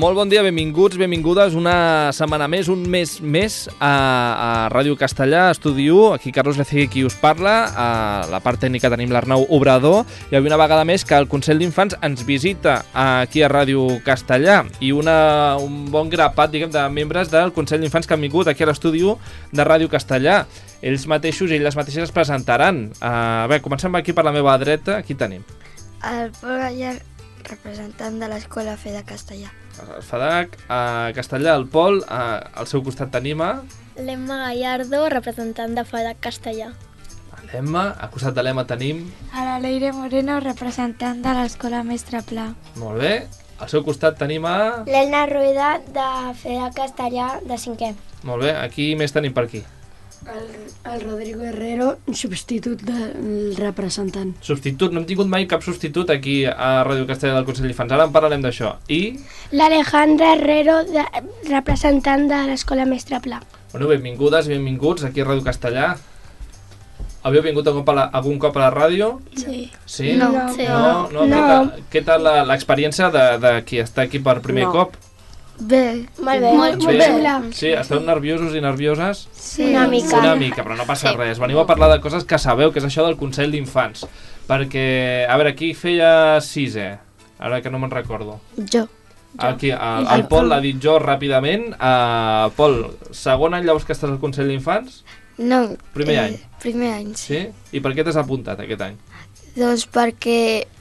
Molt bon dia, benvinguts, benvingudes una setmana més, un mes més a Ràdio Castellà, Estudi 1. Aquí Carlos Lecegui qui us parla. A la part tècnica tenim l'Arnau Obrador i avui una vegada més que el Consell d'Infants ens visita aquí a Ràdio Castellà i un bon grapat, diguem, de membres del Consell d'Infants que han vingut aquí a l'Estudi 1 de Ràdio Castellà. Ells mateixos i elles mateixes es presentaran. Bé, comencem aquí per la meva dreta. Aquí tenim el Pol Gallar, representant de l'Escola FEDA Castellà. El FEDAC, a Castellà, el Pol, al seu costat tenim l'Emma Gallardo, representant de FEDAC Castellà. l'Emma, al costat de l'Emma tenim A la Leire Moreno, representant de l'Escola Mestre Pla. molt bé, al seu costat tenim L'Elna Rueda, de FEDAC Castellà, de 5è. molt bé, aquí més tenim per aquí. El Rodrigo Herrero, substitut del representant. Substitut, no hem tingut mai cap substitut aquí a Ràdio Castellà del Consell d'Infants, ara en parlarem d'això. I, L'Alejandra Herrero, representant de l'Escola Mestre Pla. bueno, benvingudes i benvinguts aquí a Ràdio Castellà. Havíeu vingut algun cop a la ràdio? Sí. Sí? No. No. Què tal l'experiència de qui està aquí per primer cop? Bé. Molt bé. Molt Molt bé. Sí, esteu nerviosos i nervioses? Sí. Una mica. Una mica, però no passa res. Veniu a parlar de coses que sabeu, que és això del Consell d'Infants. Perquè, a veure, qui feia 6è? Ara que no me'n recordo. Jo. Aquí, el Pol l'ha dit jo ràpidament. Pol, segon any llavors que estàs al Consell d'Infants? No. Primer any. Primer any, sí. Sí? I per què t'has apuntat aquest any? Doncs perquè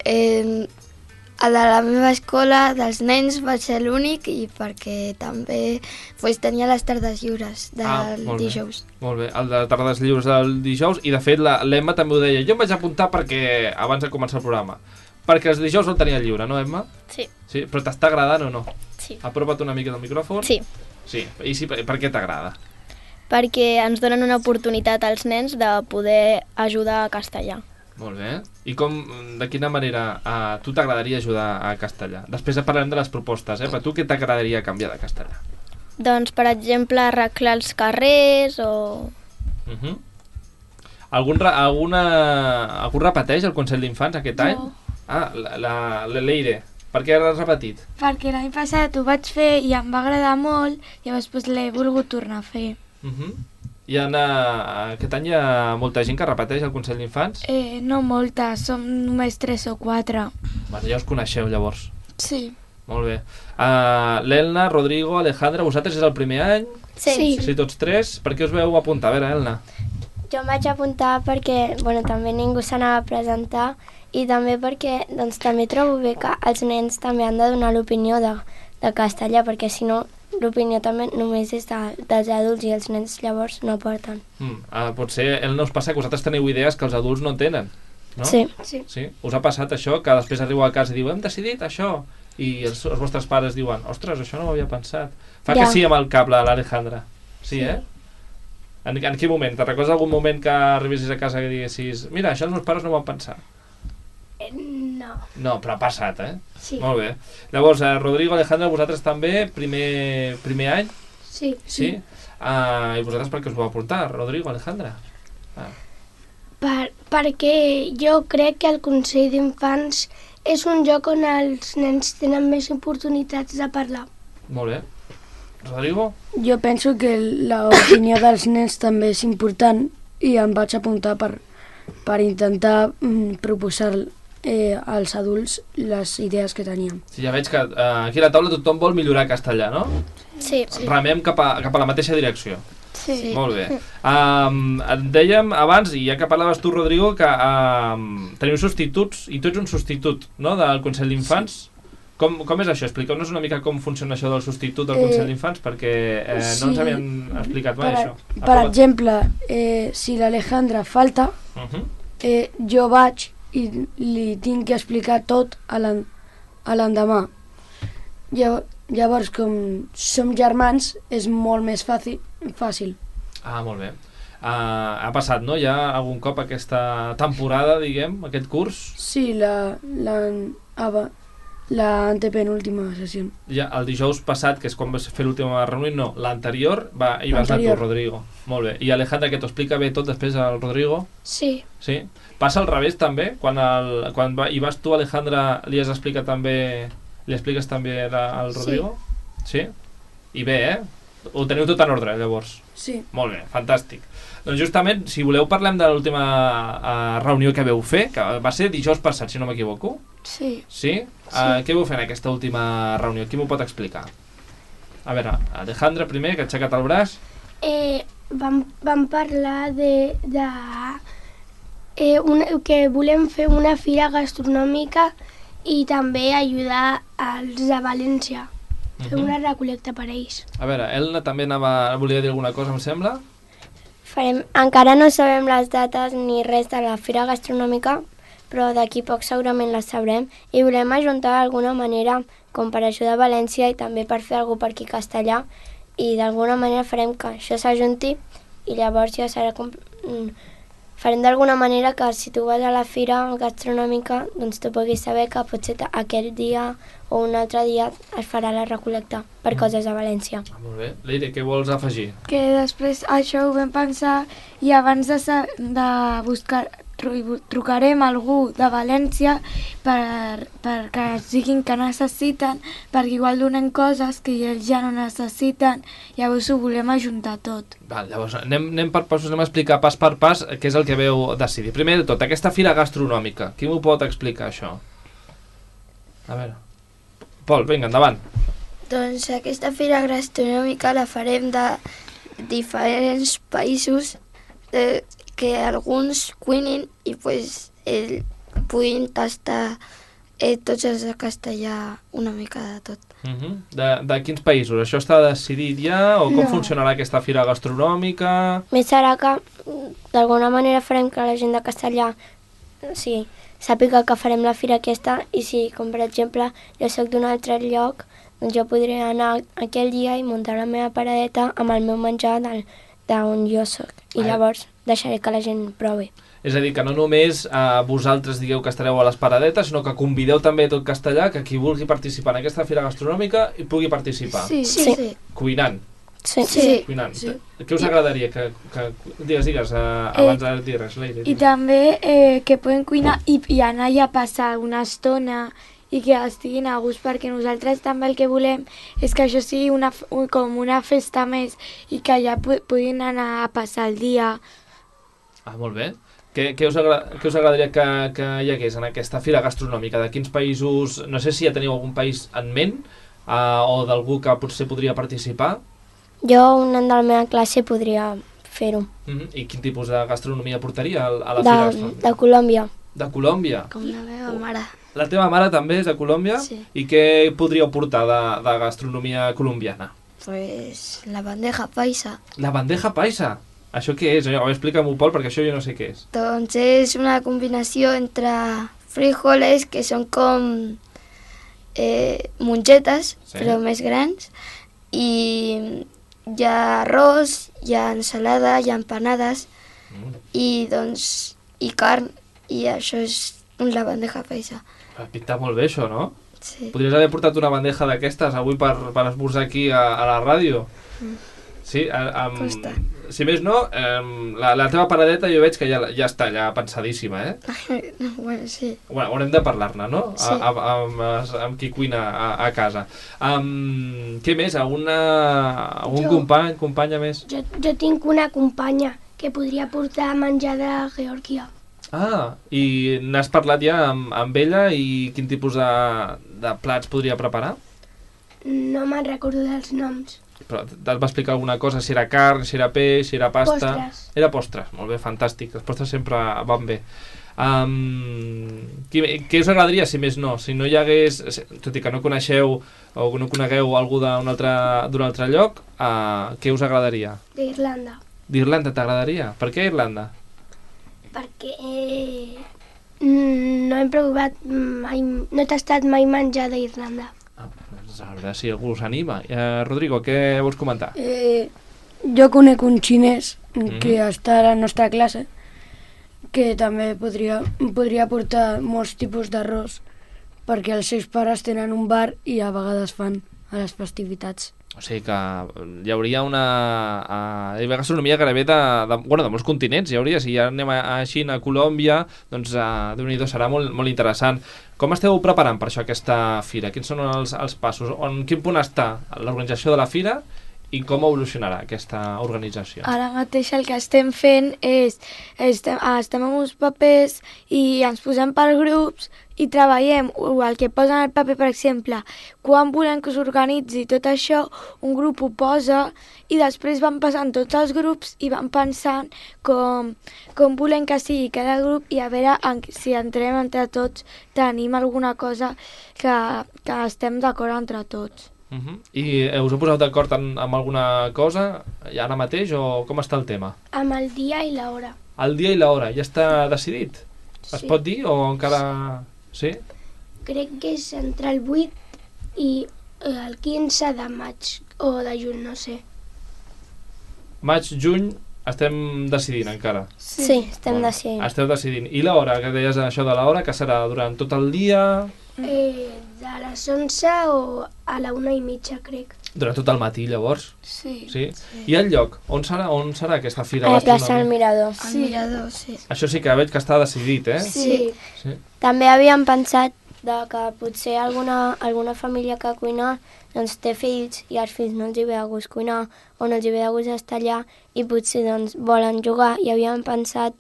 a la meva escola dels nens vaig ser l'únic i perquè també tenia les tardes lliures del molt bé. dijous. Molt bé, el de tardes lliures del dijous. I de fet l'Emma també ho deia. Jo em vaig apuntar perquè abans de començar el programa. Perquè els dijous el tenia lliure, no, Emma? Sí. Sí, però t'està agradant o no? Sí. Apropa't una mica del micròfon. Sí, Sí, i sí, per què t'agrada? perquè ens donen una oportunitat als nens de poder ajudar a castellà. Molt bé. I de quina manera a tu t'agradaria ajudar a castellà? Després parlarem de les propostes, però tu què t'agradaria canviar de castellà? Doncs, per exemple, arreglar els carrers o... Algun repeteix el Consell d'Infants aquest any? La Leire. Per què l'has repetit? Perquè l'any passat ho vaig fer i em va agradar molt, llavors l'he volgut tornar a fer. I aquest any hi ha molta gent que repeteix el Consell d'Infants? No molta, som només 3 o 4. Bueno, ja us coneixeu llavors. Sí. Molt bé. L'Elna, Rodrigo, Alejandra, vosaltres és el primer any? Sí. Sí, tots tres. Per què us veu apuntar? A veure, Elna. Jo em vaig apuntar perquè també ningú s'anava a presentar i també perquè també trobo bé que els nens també han de donar l'opinió de castellà, perquè si no l'opinió també només és dels adults i els nens llavors no porten. Potser no us passa que vosaltres teniu idees que els adults no tenen, no? Sí. Us ha passat això, que després arribeu a casa i diu hem decidit això, i els vostres pares diuen ostres, això no m'havia pensat. Fa que sí amb el cap l'Alejandra. Sí, eh? En quin moment? Te'n recordes algun moment que arribessis a casa i diguessis mira, això els meus pares no ho van pensar? No. No, però ha passat, eh? Sí. Molt bé. Llavors, Rodrigo, Alejandra, vosaltres també, primer any? Sí. Sí? I vosaltres per què us vau apuntar, Rodrigo, Alejandra? Perquè jo crec que el Consell d'Infants és un lloc on els nens tenen més oportunitats de parlar. Molt bé. Rodrigo? Jo penso que l'opinió dels nens també és important i em vaig apuntar per intentar proposar als adults les idees que teníem. Sí, ja veig que aquí a la taula tothom vol millorar castellà, no? Sí. Remem cap a la mateixa direcció. Sí. Molt bé. Dèiem abans, i ja que parlaves tu, Rodrigo, que teniu substituts, i tu ets un substitut, no?, del Consell d'Infants. Com és això? Expliqueu-nos una mica com funciona això del substitut del Consell d'Infants, perquè no ens havien explicat mai això. Per exemple, si l'Alejandra falta, jo vaig i li tinc que explicar tot a l'endemà. Llavors, com som germans, és molt més fàcil. Molt bé. Ha passat, no?, ja algun cop aquesta temporada, diguem, aquest curs? Sí, l'antepenúltima sessió. Ja, el dijous passat, que és quan vas fer l'última reunió, no, l'anterior, hi vas anar tu, Rodrigo. Molt bé. I Alejandra, que t'ho explica bé tot després al Rodrigo? Sí. Sí? Passa al revés també? Quan hi vas tu, Alejandra, li expliques també al Rodrigo? Sí? I bé, Ho teniu tot en ordre, llavors? Sí. Molt bé, fantàstic. Doncs justament, si voleu parlem de l'última reunió que veu fer, que va ser dijous passat, si no m'equivoco. Sí. Sí? Què vau fer en aquesta última reunió? Qui m'ho pot explicar? A veure, Alejandra primer, que ha aixecat el braç. Vam parlar que volem fer una fira gastronòmica i també ajudar als de València. Fer una recol·lecta per ells. A veure, Elna també volia dir alguna cosa, em sembla? Encara no sabem les dates ni res de la fira gastronòmica, però d'aquí poc segurament les sabrem i volem ajuntar d'alguna manera com per ajudar a València i també per fer alguna cosa per aquí a Castellà i d'alguna manera farem que això s'ajunti i llavors ja serà farem d'alguna manera que si tu vas a la fira gastronòmica doncs tu puguis saber que potser aquell dia o un altre dia es farà la recol·lecta per coses a València. Molt bé. Leire, què vols afegir? Que després això ho vam pensar i abans de buscar trucarem a algú de València perquè ens diguin que necessiten, perquè igual donen coses que ells ja no necessiten, llavors ho volem ajuntar tot. Val, llavors anem per passos, anem a explicar pas per pas què és el que veu decidir. Primer de tot, aquesta fira gastronòmica, qui m'ho pot explicar això? A veure, Pol, vinga, endavant. Doncs aquesta fira gastronòmica la farem de diferents països que alguns cuinin i puguin tastar tots els de Castellà una mica de tot. De quins països? Això està decidit ja? O com funcionarà aquesta fira gastronòmica? Més serà que d'alguna manera farem que la gent de Castellà sàpiga que farem la fira aquesta i si, com per exemple, jo soc d'un altre lloc, doncs jo podré anar aquell dia i muntar la meva paradeta amb el meu menjar d'on jo soc. I llavors deixaré que la gent provi. És a dir, que no només vosaltres digueu que estareu a les paradetes, sinó que convideu també tot Castellà, que qui vulgui participar en aquesta fira gastronòmica hi pugui participar. Sí. Cuinant. Sí. Cuinant. Sí. Què us agradaria? Digues, abans de dir res, Leire. I també que poden cuinar i anar allà a passar una estona i que estiguin a gust, perquè nosaltres també el que volem és que això sigui com una festa més i que allà puguin anar a passar el dia. Molt bé. Què us agradaria que hi hagués en aquesta fira gastronòmica? De quins països? No sé si ja teniu algun país en ment o d'algú que potser podria participar. Jo, un nen de la meva classe, podria fer-ho. I quin tipus de gastronomia portaria a la fira gastronòmica? De Colòmbia. De Colòmbia? Com la meva mare. La teva mare també és de Colòmbia? Sí. I què podríeu portar de gastronomia colombiana? Pues la bandeja paisa. La bandeja paisa? Això què és? Explica-m'ho, Pol, perquè això jo no sé què és. Doncs és una combinació entre frijoles, que són com mongetes, però més grans, i hi ha arròs, hi ha ensalada, hi ha empanades, i carn, i això és la bandeja paisa. Pinta molt bé això, no? Sí. Podries haver portat una bandeja d'aquestes avui per esmorzar aquí a la ràdio. Sí, si més no, la teva paradeta jo veig que ja està ja pensadíssima, Bueno, sí. Bueno, haurem de parlar-ne, no? Sí. Amb qui cuina a casa. Què més? Algun companya més? Jo tinc una companya que podria portar menjar de Geòrgia. I n'has parlat ja amb ella i quin tipus de plats podria preparar? No me'n recordo dels noms. Però et va explicar alguna cosa? Si era carn, si era peix, si era pasta? Postres. Era postres, molt bé, fantàstic. Les postres sempre van bé. Què us agradaria, si més no? Si no hi hagués, tot i que no coneixeu o no conegueu algú d'un altre lloc, què us agradaria? D'Irlanda. D'Irlanda t'agradaria? Per què Irlanda? Perquè no hem provat mai, no he tastat mai menjar d'Irlanda. A veure si algú s'anima. Rodrigo, què vols comentar? Jo conec un xinès que està a la nostra classe que també podria portar molts tipus d'arròs perquè els seus pares tenen un bar i a vegades fan a les festivitats. O sigui que hi hauria una... Hi hauria gastronomia gairebé de molts continents, hi hauria. Si ja anem a Xina, a Colòmbia, doncs Déu-n'hi-do, serà molt interessant. Com esteu preparant per això aquesta fira? Quins són els passos? En quin punt està l'organització de la fira i com evolucionarà aquesta organització? Ara mateix el que estem fent és estem amb uns papers i ens posem per grups i treballem el que posa en el paper, per exemple, quan volem que s'organitzi tot això, un grup ho posa i després van passant tots els grups i van pensant com volem que sigui cada grup i a veure si entrem entre tots, tenim alguna cosa que estem d'acord entre tots. I us heu posat d'acord amb alguna cosa ara mateix o com està el tema? Amb el dia i l'hora. El dia i l'hora, ja està decidit? Es pot dir o encara... Sí? Crec que és entre el 8 i el 15 de maig o de juny, no sé. Maig, juny, estem decidint encara. Sí, estem decidint. Esteu decidint. I l'hora, que deies això de l'hora, que serà durant tot el dia? De les 11 o a la 1:30, crec. Durant tot el matí, llavors? Sí. I el lloc? On serà aquesta fira A la plaça del gastronòmica? Mirador. Al mirador, sí. Això sí que veig que està decidit, eh? Sí. També havíem pensat que potser alguna família que cuina doncs, té fills i als fills no els hi ve de gust cuinar o no els hi ve de gust estar allà i potser doncs, volen jugar i havíem pensat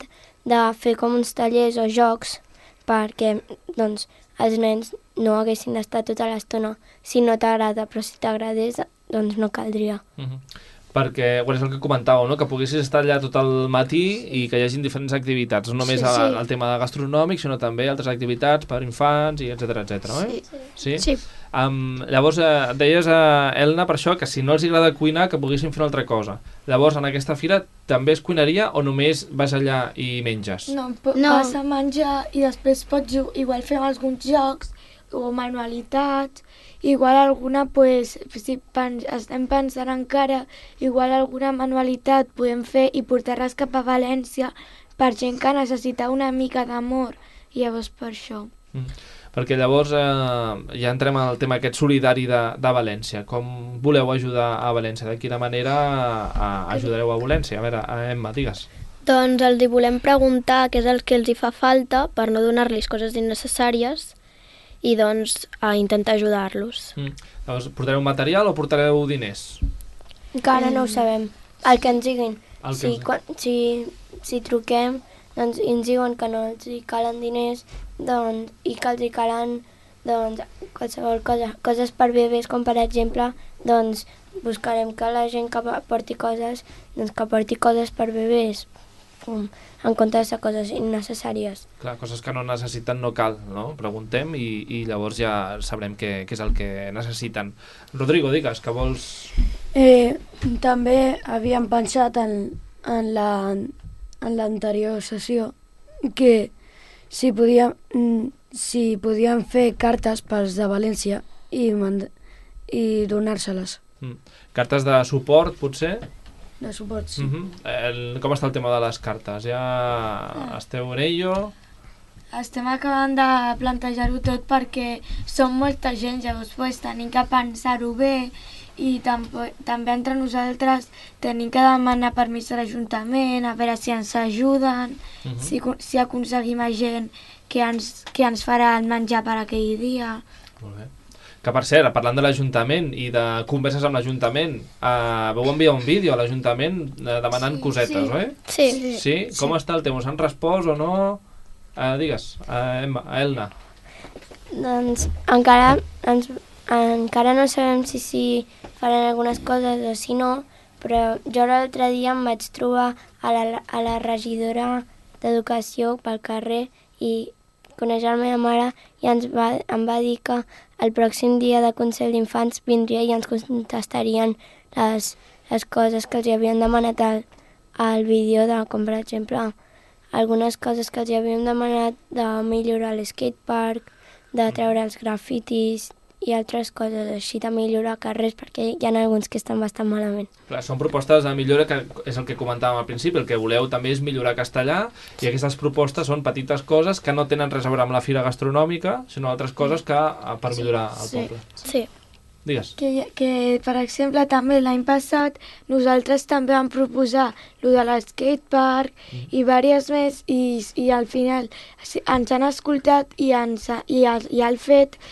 de fer com uns tallers o jocs perquè doncs, els nens no haguessin d'estar tota l'estona si no t'agrada, però si t'agradés doncs no caldria. Perquè, és el que comentàveu, no? Que poguessis estar allà tot el matí i que hi hagin diferents activitats, no només el tema de gastronòmic, sinó també altres activitats per infants, i etcètera, eh? Sí. Llavors, deies, Elna, per això, que si no els agrada cuinar, que poguessin fer una altra cosa. Llavors, en aquesta fira també es cuinaria o només vas allà i menges? No, vas a menjar i després pots igual fer alguns jocs o manualitats, igual alguna, si estem pensant encara, igual alguna manualitat podem fer i portar-les cap a València per gent que necessita una mica d'amor, i llavors per això. Perquè llavors ja entrem al tema aquest solidari de València. Com voleu ajudar a València? De quina manera ajudareu a València? A veure, Emma, digues. Doncs els hi volem preguntar què és el que els hi fa falta per no donar-los coses innecessàries i doncs a intentar ajudar-los. Llavors, portareu material o portareu diners? Encara no ho sabem. El que ens diguin. Si truquem doncs, i ens diuen que no els hi calen diners i que els hi calen qualsevol cosa, coses per bebès, com per exemple, doncs buscarem que la gent que porti coses, doncs que porti coses per bebès, en comptes de coses innecessàries. Clar, coses que no necessiten no cal, no? Preguntem i llavors ja sabrem què és el que necessiten. Rodrigo, digues, que vols... També havíem pensat en l'anterior sessió que si podíem fer cartes pels de València i donar-se-les. Cartes de suport, potser? De suport, sí. Com està el tema de les cartes? Ja esteu en ello? Estem acabant de plantejar-ho tot perquè som molta gent, llavors tenim que pensar-ho bé i també entre nosaltres tenim que demanar permís a l'Ajuntament, a veure si ens ajuden, si aconseguim a gent que ens farà el menjar per aquell dia. Molt bé. Que per cert, parlant de l'Ajuntament i de converses amb l'Ajuntament, vau enviar un vídeo a l'Ajuntament demanant cosetes, oi? Sí. Sí? Com està el tema? Us han respost o no? Digues, Elna. Doncs encara no sabem si faran algunes coses o si no, però jo l'altre dia em vaig trobar a la regidora d'Educació pel carrer i coneix la meva mare i em va dir que el pròxim dia de Consell d'Infants vindria i ens contestarien les coses que els havien demanat al vídeo, com per exemple algunes coses que els havíem demanat de millorar l'skatepark, de treure els grafitis i altres coses així, de millorar carrers, perquè hi ha alguns que estan bastant malament. Clar, són propostes de millora, que és el que comentàvem al principi, el que voleu també és millorar castellà, i aquestes propostes són petites coses que no tenen res a veure amb la fira gastronòmica, sinó altres coses que per millorar el poble. Sí. Digues. Que, per exemple, també l'any passat nosaltres també vam proposar lo de l'escatepark i diverses més i al final ens han escoltat i han fet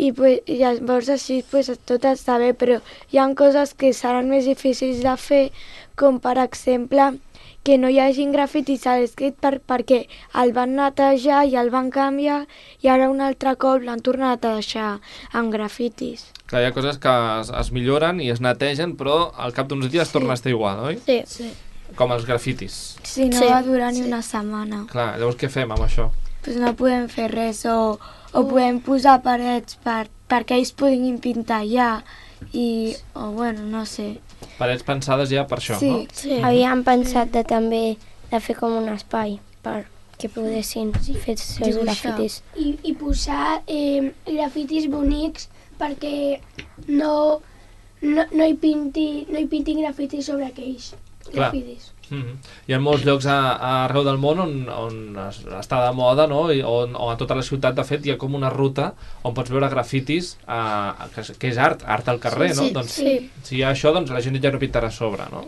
i llavors així tot està bé, però hi ha coses que seran més difícils de fer, com per exemple que no hi hagin grafitis a l'escatepark perquè el van netejar i el van canviar i ara un altre cop l'han tornat a deixar amb grafitis. Clar, hi ha coses que es milloren i es netegen, però al cap d'uns dies torna a estar igual, oi? Sí. Com els grafitis. Sí, no va durar ni una setmana. Clar, llavors què fem amb això? Pues no podem fer res o podem posar parets perquè ells puguin pintar ja o bueno, no sé. Parets pensades ja per això, no? Sí. Havíem pensat també de fer com un espai perquè poguessin fer els seus grafitis. I posar grafitis bonics perquè no hi pintin grafitis sobre aquells grafitis. Hi ha molts llocs arreu del món on està de moda, no? O a tota la ciutat, de fet, hi ha com una ruta on pots veure grafitis, que és art al carrer, no? Doncs, si hi ha això, doncs la gent ja no pintarà a sobre, no?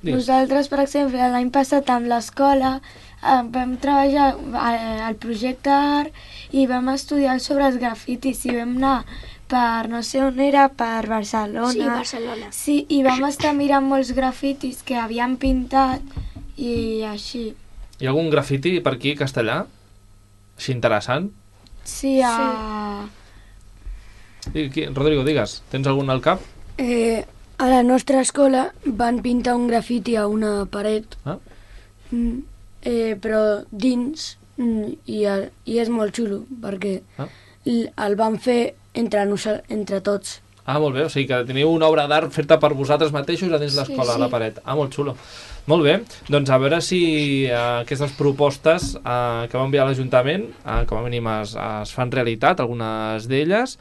Nosaltres, per exemple, l'any passat amb l'escola vam treballar al projecte art i vam estudiar sobre els grafitis i vam anar per no sé on era, per Barcelona. Sí, Barcelona. Sí, i vam estar mirant molts grafitis que havien pintat i així. Hi ha algun grafiti per aquí, castellà? Així interessant? Sí, Rodrigo, digues, tens algun al cap? A la nostra escola van pintar un grafiti a una paret, però dins, i és molt xulo, perquè el van fer entre tots. Molt bé, o sigui que teniu una obra d'art feta per vosaltres mateixos a dins l'escola, a la paret. Molt xulo. Molt bé, doncs a veure si aquestes propostes que va enviar l'Ajuntament, com a mínim es fan realitat, algunes d'elles,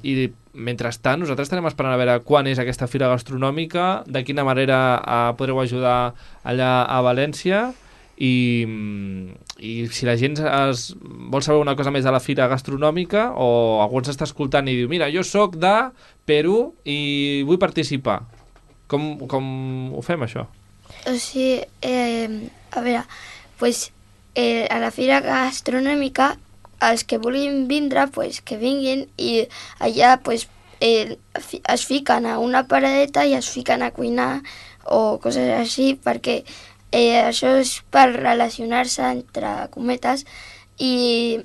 i mentrestant nosaltres estarem esperant a veure quan és aquesta fira gastronòmica, de quina manera podreu ajudar allà a València, i si la gent vol saber una cosa més de la fira gastronòmica o algú ens està escoltant i diu mira, jo sóc de Perú i vull participar, com ho fem això? O sigui, a veure, a la fira gastronòmica els que vulguin vindre, que vinguin i allà es fiquen a una paradeta i es fiquen a cuinar o coses així perquè això és per relacionar-se entre cometes i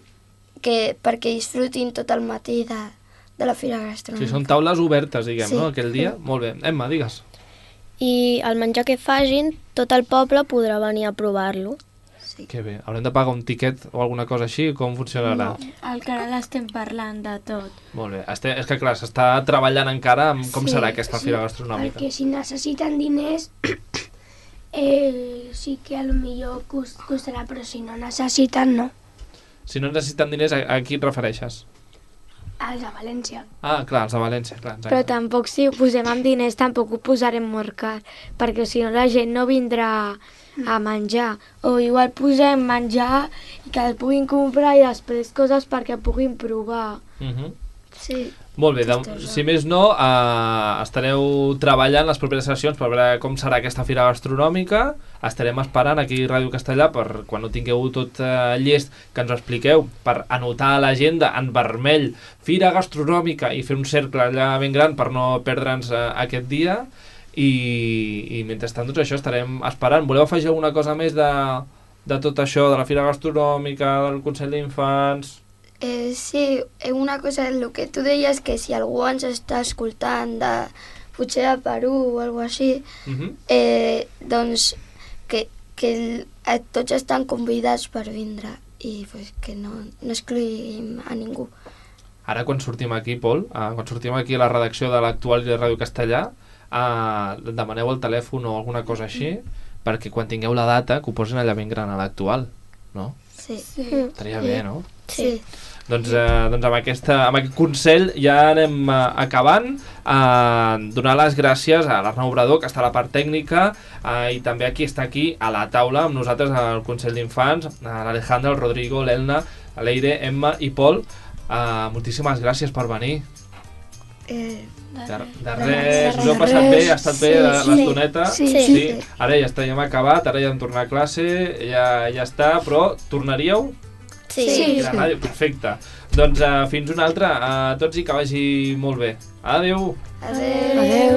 perquè disfrutin tot el matí de la fira gastronòmica. Sí, són taules obertes, diguem, no? Aquell dia. Molt bé. Emma, digues. I el menjar que facin, tot el poble podrà venir a provar-lo. Sí. Que bé. Haurem de pagar un tiquet o alguna cosa així? Com funcionarà? No, encara l'estem parlant de tot. Molt bé. És que, clar, s'està treballant encara amb com serà aquesta fira gastronòmica. Perquè si necessiten diners... sí que potser costarà, però si no necessiten, no. Si no necessiten diners, a qui et refereixes? Els de València. Clar, els de València, clar. Exacte. Però tampoc si ho posem amb diners tampoc ho posarem molt car, perquè si no la gent no vindrà a menjar. O igual posem menjar i que el puguin comprar i després coses perquè puguin provar. Sí. Molt bé, si més no, estareu treballant les properes sessions per veure com serà aquesta fira gastronòmica. Estarem esperant aquí a Ràdio Castellà per quan ho tingueu tot llest que ens ho expliqueu, per anotar a l'agenda en vermell fira gastronòmica i fer un cercle allà ben gran per no perdre'ns aquest dia. I mentrestant, doncs això estarem esperant. Voleu afegir alguna cosa més de tot això, de la fira gastronòmica, del Consell d'Infants? Sí, una cosa, el que tu deies, que si algú ens està escoltant potser de Perú o alguna cosa així, doncs que tots estan convidats per vindre i que no excluïm a ningú. Ara quan sortim aquí, Pol, quan sortim aquí a la redacció de l'Actual i de Ràdio Castellà, demaneu el telèfon o alguna cosa així, perquè quan tingueu la data que ho posin allà ben gran a l'Actual, no? Sí. Estaria bé, no? Sí. Doncs amb aquest consell ja anem acabant. Donar les gràcies a l'Arnau Obrador, que està a la part tècnica, i també està aquí a la taula amb nosaltres al Consell d'Infants, l'Alejandra, el Rodrigo, l'Elna, l'Eire, Emma i Pol. Moltíssimes gràcies per venir. De res, us ho heu passat bé? Ha estat bé l'estoneta? Sí. Ara ja hem acabat, ara ja hem tornat a classe, ja està, però tornaríeu? Sí. La ràdio, perfecte. Doncs fins una altra, a tots i que vagi molt bé. Adéu! Adéu.